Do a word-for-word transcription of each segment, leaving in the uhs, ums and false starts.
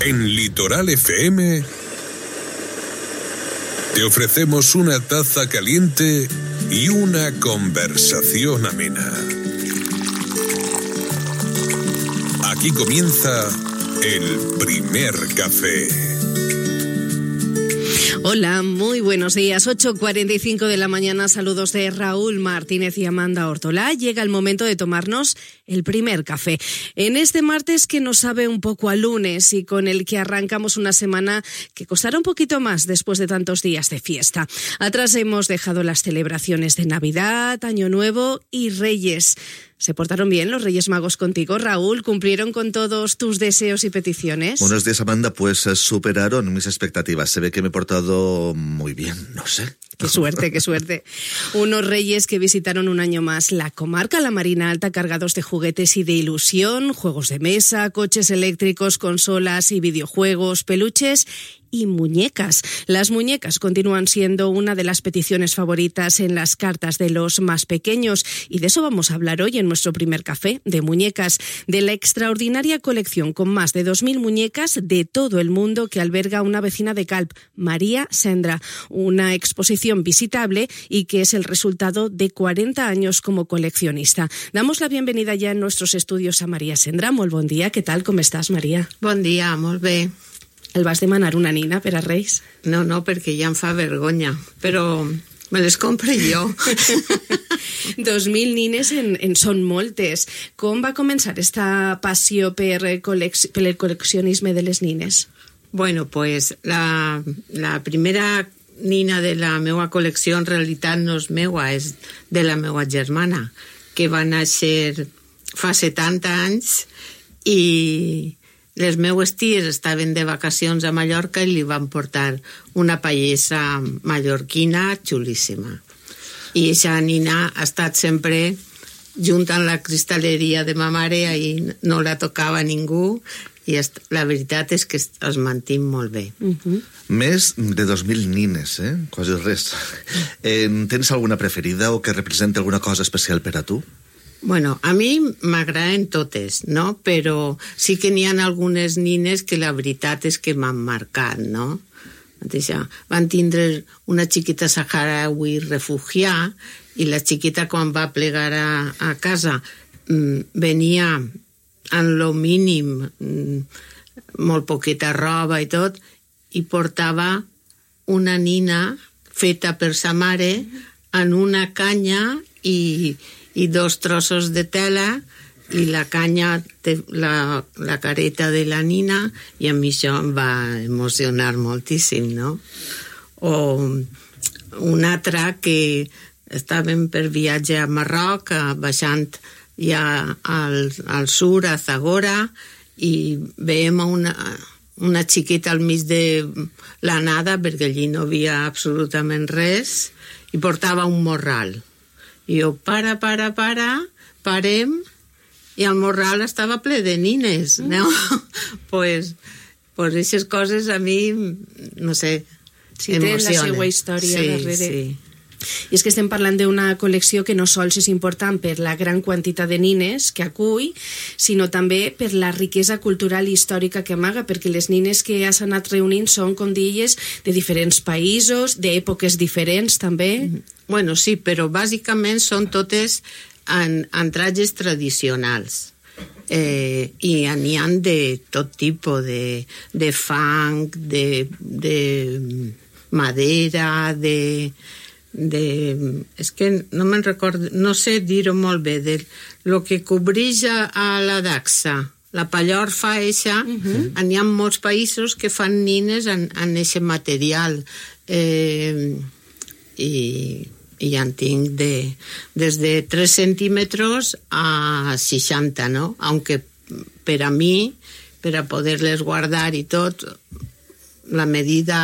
En Litoral F M te ofrecemos una taza caliente y una conversación amena. Aquí comienza el primer café. Hola, muy buenos días. ocho cuarenta y cinco de la mañana, saludos de Raúl Martínez y Amanda Ortolá. Llega el momento de tomarnos el primer café. En este martes que nos sabe un poco a lunes y con el que arrancamos una semana que costará un poquito más después de tantos días de fiesta. Atrás hemos dejado las celebraciones de Navidad, Año Nuevo y Reyes. ¿Se portaron bien los Reyes Magos contigo, Raúl? ¿Cumplieron con todos tus deseos y peticiones? Buenos días, Amanda. Pues superaron mis expectativas. Se ve que me he portado muy bien, no sé. Qué suerte, qué suerte. Unos reyes que visitaron un año más la comarca, la Marina Alta, cargados de juguetes y de ilusión, juegos de mesa, coches eléctricos, consolas y videojuegos, peluches y muñecas. Las muñecas continúan siendo una de las peticiones favoritas en las cartas de los más pequeños y de eso vamos a hablar hoy en nuestro primer café, de muñecas, de la extraordinaria colección con más de dos mil muñecas de todo el mundo que alberga una vecina de Calp, María Sendra, una exposición visitable y que es el resultado de cuarenta años como coleccionista. Damos la bienvenida ya en nuestros estudios a María Sendra. Molt bon dia, què tal, com estàs, Maria? Bon dia, molt bé. El vas demanar una nina per a Reis? No, no, perquè ja em fa vergonya, però me les compre jo. Dos mil nines en, en són moltes. Com va començar esta passió per, col·lec- per el col·leccionisme de les nines? Bueno, pues la, la primera nina de la meva col·lecció en realitat no és meua, és de la meva germana, que va néixer fa setanta anys i les meues ties estaven de vacacions a Mallorca i li van portar una pallessa mallorquina xulíssima. I aquesta nina ha estat sempre junt amb la cristalleria de ma mare, ahí no la tocava ningú, i la veritat és que es mantim molt bé. Uh-huh. Més de dos mil nines, eh? Quasi res. Eh, tens alguna preferida o que representi alguna cosa especial per a tu? Bueno, a mi m'agraden totes, no? Però sí que n'hi ha algunes nines que la veritat és que m'han marcat, no? Van tindre una xiquita saharaui refugià i la xiquita quan va plegar a, a casa venia en lo mínim, molt poqueta roba i tot, i portava una nina feta per sa mare en una canya i, i dos trossos de tela i la canya té la, la careta de la nina i a mi això em va emocionar moltíssim, no? O una altra que estàvem per viatge a Marroc, baixant ja al, al sur, a Zagora, i veiem una, una xiqueta al mig de la nada, perquè allí no havia absolutament res, i portava un morral. I jo, para, para, para, parem, i el morral estava ple de nines, no? pues, pues aquestes coses a mi, no sé, sí, emocionen. Sí, tenen la seva història sí, darrere. Sí. I és que estem parlant d'una col·lecció que no sols és important per la gran quantitat de nines que acull, sinó també per la riquesa cultural i històrica que amaga, perquè les nines que has anat reunint són, com deies, de diferents països, d'èpoques diferents també. Bueno, sí, però bàsicament són totes en, en trajes tradicionals. Eh, i n'hi ha de tot tipus, de, de fang, de, de madera, de... de, és que no me'n recordo, no sé dir-ho molt bé, de lo que cobreix a la daxa, la pallorfa eixa, uh-huh. N'hi ha molts països que fan nines en, en eixe material, eh, i, i ja en tinc de, des de tres centímetres a seixanta, no? Aunque per a mi, per a poder-les guardar i tot, la medida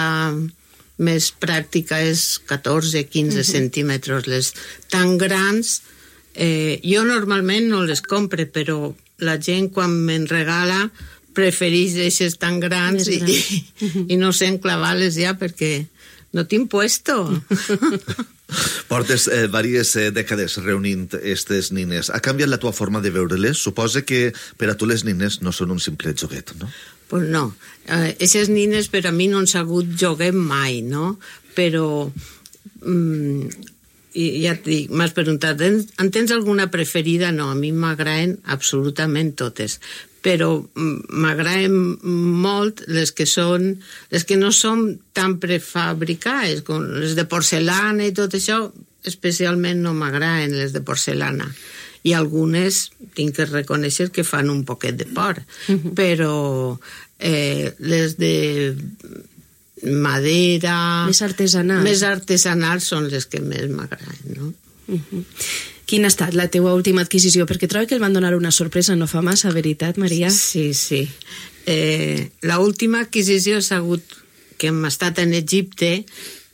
més pràctica és catorze quinze uh-huh. centímetres. Les tan grans, eh, jo normalment no les compre, però la gent quan me'n regala prefereix eixes tan grans i, gran. i, uh-huh. i no sé enclavar-les ja perquè no tinc puesto. Portes eh, diverses eh, dècades reunint aquestes nines. Ha canviat la tua forma de veure-les? Suposa que per a tu les nines no són un simple joguet, no? pues no. Aquestes eh, nines per a mi no han sabut jugar mai, no? Però, mm, ja et dic, m'has preguntat, en tens alguna preferida? No, a mi m'agraden absolutament totes. Però m'agraden molt les que són, les que no són tan prefabricades, com les de porcelana i tot això, especialment no m'agraden les de porcelana. I algunes tinc que reconèixer que fan un poquet de por, uh-huh. però eh, les de madera... Més artesanals. Més artesanals són les que més m'agraden, no? Uh-huh. Quina ha estat la teua última adquisició? Perquè trobo que el van donar una sorpresa, no fa massa, veritat, Maria? Sí, sí. Eh, la última adquisició ha sigut que hem estat en Egipte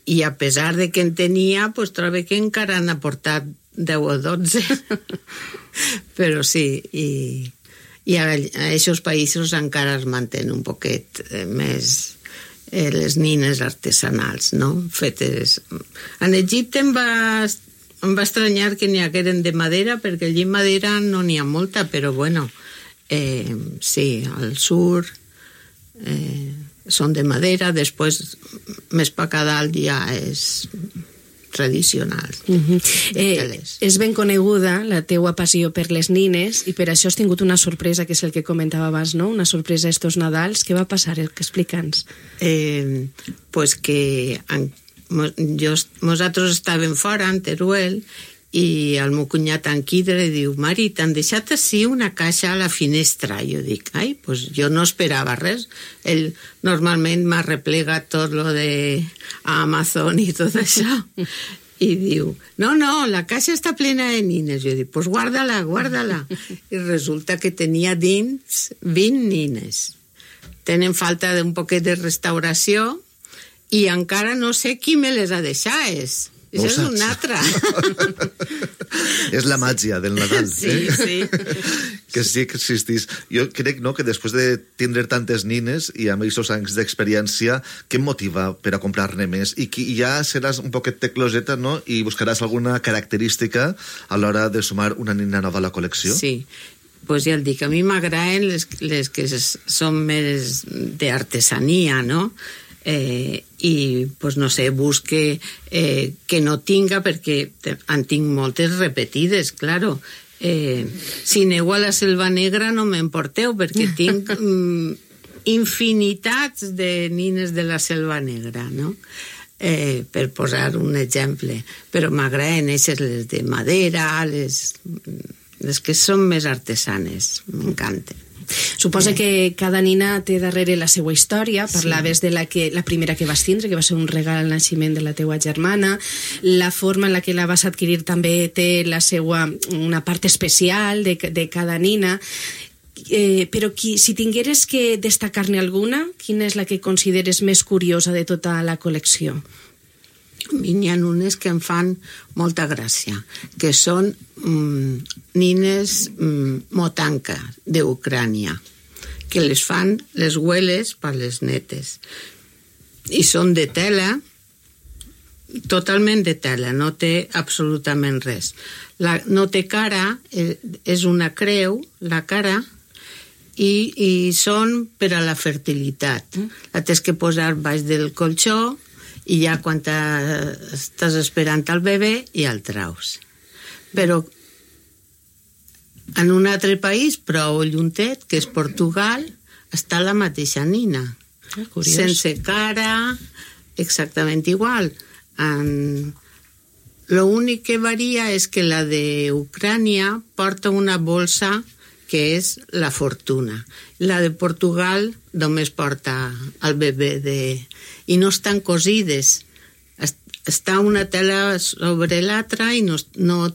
i a pesar de que en tenia, pues, trobo que encara han aportat deu o dotze. Però sí, i, i a, a aquests països encara es mantén un poquet eh, més eh, les nines artesanals, no? Fetes... En Egipte em va, em va estranyar que n'hi hagueren de madera, perquè allí madera no n'hi ha molta, però bueno, eh, sí, al sur eh, són de madera, després més pa a dalt ja és tradicional. Uh-huh. eh, és ben coneguda la teua passió per les nines i per això has tingut una sorpresa, que és el que comentava abans, no? Una sorpresa estos Nadals. Què va passar? Explica'ns. Eh, pues que en, jo, nosaltres estàvem fora, en Teruel, i el meu cunyat en Quidre diu: Mari, t'han deixat així una caixa a la finestra. Jo dic, ai, pues jo no esperava res. Ell normalment m'ha replegat tot lo de Amazon i tot això. I diu, no, no, la caixa està plena de nines. Jo dic, pues guarda-la, guarda-la. I resulta que tenia dins vint nines. Tenen falta d'un poquet de restauració i encara no sé qui me les ha deixades. No això és una altra. És la màgia del Nadal. Sí, eh? sí. Que sí que existís. Jo crec, no, que després de tindre tantes nines i amb aquests anys d'experiència, què em motiva per a comprar-ne més? I que ja seràs un poquet tecloseta, no? I buscaràs alguna característica a l'hora de sumar una nina nova a la col·lecció? Sí. Pues ja el dic, a mi m'agraden les, les que són més d'artesania, no? Eh, i pues no sé, busque eh, que no tinga, perquè en tinc moltes repetides, claro. Eh, si aneu a la Selva Negra no m'emporteu, perquè tinc mm, infinitats de nines de la Selva Negra, no? Eh, per posar un exemple. Però m'agraden eixes, les de madera, les, les que són més artesanes, m'encanten. Suposa que cada nina té darrere la seva història. Parlaves de la, que, la primera que vas tindre, que va ser un regal al naixement de la teua germana. La forma en la que la vas adquirir també té la seva, una part especial de, de cada nina. Eh, però qui, si tingueres que destacar-ne alguna, quina és la que consideres més curiosa de tota la col·lecció? A mi n'hi ha unes que em fan molta gràcia, que són mm, nines mm, motanca d'Ucrània, que les fan les hueles per les netes. I són de tela, totalment de tela, no té absolutament res. La, no té cara, és una creu, la cara, i, i són per a la fertilitat. La tens que posar baix del colxó, i ja quan estàs esperant el bebè ja el traus. Però en un altre país prou lluntet, que és Portugal, està la mateixa nina. Ah, curiós. Sense cara, exactament igual. En... Lo únic que varia és que la d'Ucrània porta una bolsa que és la fortuna. La de Portugal només porta el bebè de... i no estan cosides. Està una tela sobre l'altra i no, no,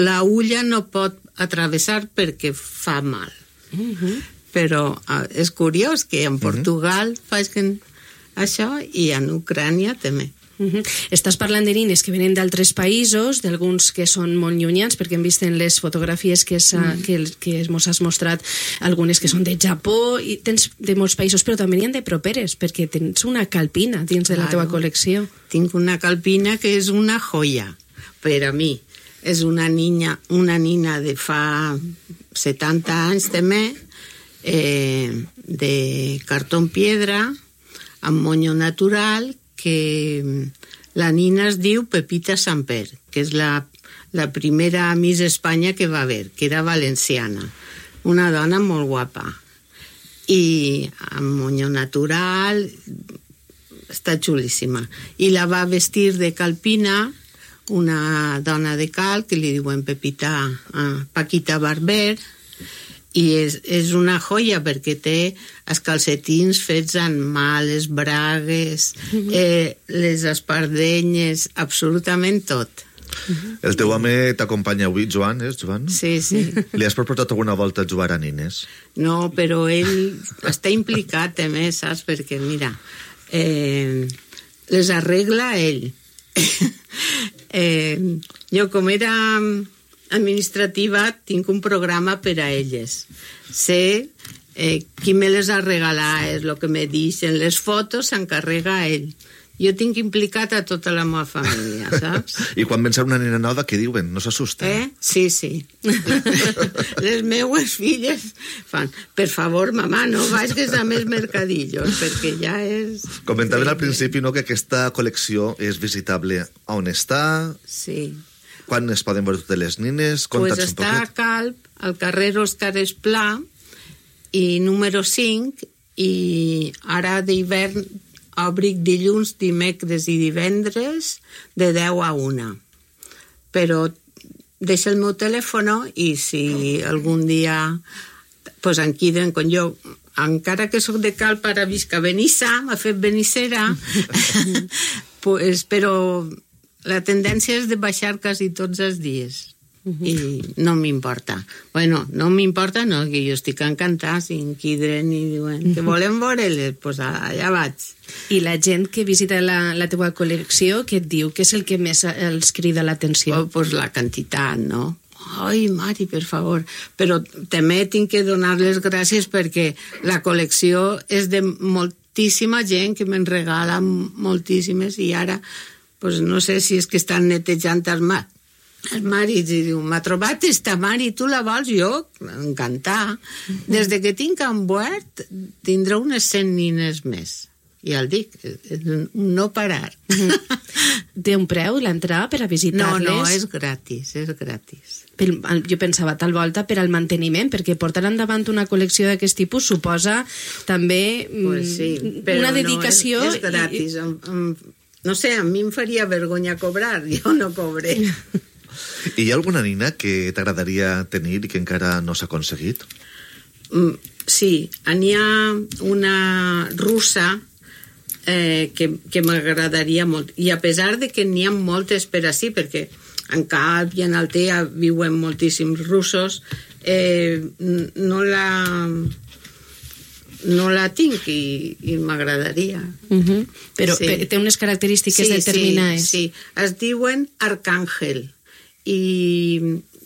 la ulla no pot atravessar perquè fa mal. Uh-huh. Però és curiós que en Portugal uh-huh. facin això i en Ucrània també. Uh-huh. Estàs parlant de nines que venen d'altres països, d'alguns que són molt llunyans, perquè hem vist en les fotografies que, mm. que, que mos has mostrat algunes que són de Japó, i tens de molts països, però també n'hi ha de properes, perquè tens una calpina dins de la claro. Teva col·lecció. Tinc una calpina que és una joia per a mi. És una niña, una nina de fa setanta anys també, eh, de cartó piedra amb monyo natural, que la nina es diu Pepita Samper, que és la, la primera Miss Espanya que va haver, que era valenciana, una dona molt guapa, i amb monyo natural, està xulíssima, i la va vestir de calpina una dona de cal que li diuen Pepita, uh, Paquita Barber, i és, és una joia perquè té els calcetins fets en mà, les bragues, mm-hmm. eh, les espardenyes, absolutament tot. Mm-hmm. El teu home t'acompanya avui, Joan, és Joan? Sí, sí. Li has proposat alguna volta a jugar a nines? No, però ell està implicat també, saps? Perquè, mira, eh, les arregla ell. eh, jo, com era administrativa, tinc un programa per a elles. Sé eh, qui me les ha regalat, és el que me deixen. Les fotos s'encarrega ell. Jo tinc implicat a tota la meva família, saps? I quan ven una nena nova, què diuen? No s'assusten? Eh? Sí, sí. Les meues filles fan, per favor, mamà, no vagis a més mercadillos, perquè ja és... Comentaven al principi, no?, que aquesta col·lecció és visitable a on està... Sí. Quan es poden veure totes les nines? Pues està a Calp, al carrer Òscar Esplà, i número cinc, i ara d'hivern obric dilluns, dimecres i divendres de deu a una. Però deixa el meu telèfon i si algun dia pues, em queden, com jo, encara que soc de Calp, ara visc a Benissa, m'ha fet benissera, pues, però la tendència és de baixar quasi tots els dies. Uh-huh. I no m'importa. Bueno, no m'importa, no, que jo estic encantada, si em quidren i diuen que volem veure-les, doncs pues allà vaig. I la gent que visita la, la teva col·lecció, què et diu? Què és el que més els crida l'atenció? Oh, pues la quantitat, no? Ai, Mari, per favor. Però també tinc que donar les gràcies perquè la col·lecció és de moltíssima gent que me'n regala moltíssimes i ara, pues no sé si és que estan netejant els mars. El mari diu, m'ha trobat esta Mari, tu la vols? Jo, encantar. Des de que tinc en Buert, tindrà unes cent nines més. I el dic, no parar. Té un preu l'entrada per a visitar-les? No, no, és gratis, és gratis. Jo pensava tal volta per al manteniment, perquè portar endavant una col·lecció d'aquest tipus suposa també pues sí, una dedicació... No, és, és gratis. I... No sé, a mi em faria vergonya cobrar, jo no cobré. I hi ha alguna nina que t'agradaria tenir i que encara no s'ha aconseguit? Mm, sí, n'hi ha una russa eh, que, que m'agradaria molt. I a pesar de que n'hi ha moltes per ací, perquè en Calp i en Altea viuen moltíssims russos, eh, no la... no la tinc i, i m'agradaria. Uh-huh. Però sí. Té unes característiques sí, determinades. Sí, sí, es diuen Arcàngel i,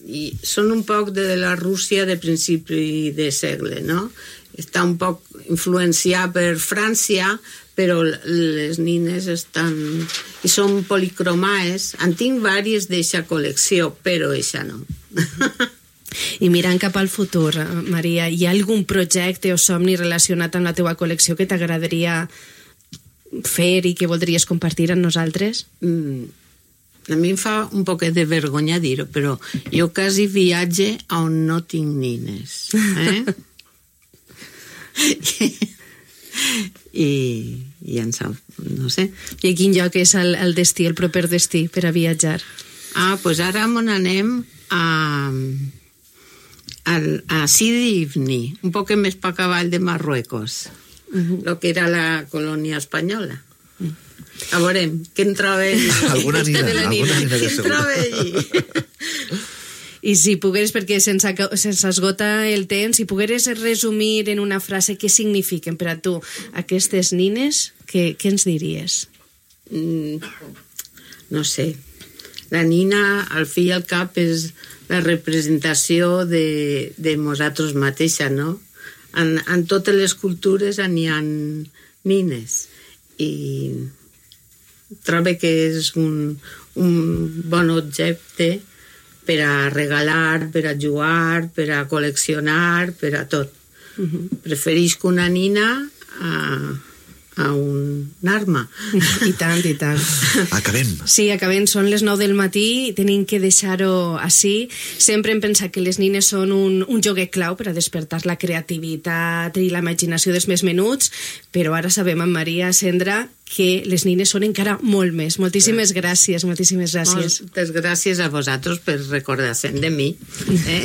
i són un poc de la Rússia de principi de segle, no? Està un poc influenciat per França, però les nines estan... i són policromaes. En tinc diverses d'eixa col·lecció, però eixa no. I mirant cap al futur, Maria, hi ha algun projecte o somni relacionat amb la teva col·lecció que t'agradaria fer i que voldries compartir amb nosaltres? Mm, a mi em fa un poquet de vergonya dir-ho, però jo quasi viatge on no tinc nines. Eh? I, i en sap, no sé. I quin lloc és el, el destí, el proper destí per a viatjar? Ah, doncs pues ara on anem a... a Sidi Ifni, un poc més per cavall de Marruecos, uh-huh. Lo que era la colònia espanyola. Uh-huh. A veurem, què en troba allí? Alguna nina, alguna nina de què en troba allí? I si pogueres, perquè sense, sense esgota el temps, si pogueres resumir en una frase què signifiquen per a tu aquestes nines, què, què ens diries? Mm, no sé. La nina, al fi i al cap, és la representació de, de nosaltres mateixa, no? En, en totes les cultures n'hi ha nines. I trobo que és un, un bon objecte per a regalar, per a jugar, per a col·leccionar, per a tot. Uh-huh. Preferisc una nina a... a un arma. I tant, i tant. Acabem. Sí, acabem. Són les nou del matí, tenim que deixar-ho així. Sempre hem pensat que les nines són un, un joguet clau per a despertar la creativitat i la imaginació dels més menuts, però ara sabem, en Maria, Sandra, que les nines són encara molt més. Moltíssimes gràcies, moltíssimes gràcies. Moltes gràcies a vosaltres per recordar-se de mi. Eh?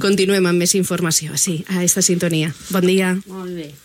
Continuem amb més informació, sí, a esta sintonia. Bon dia. Molt bé.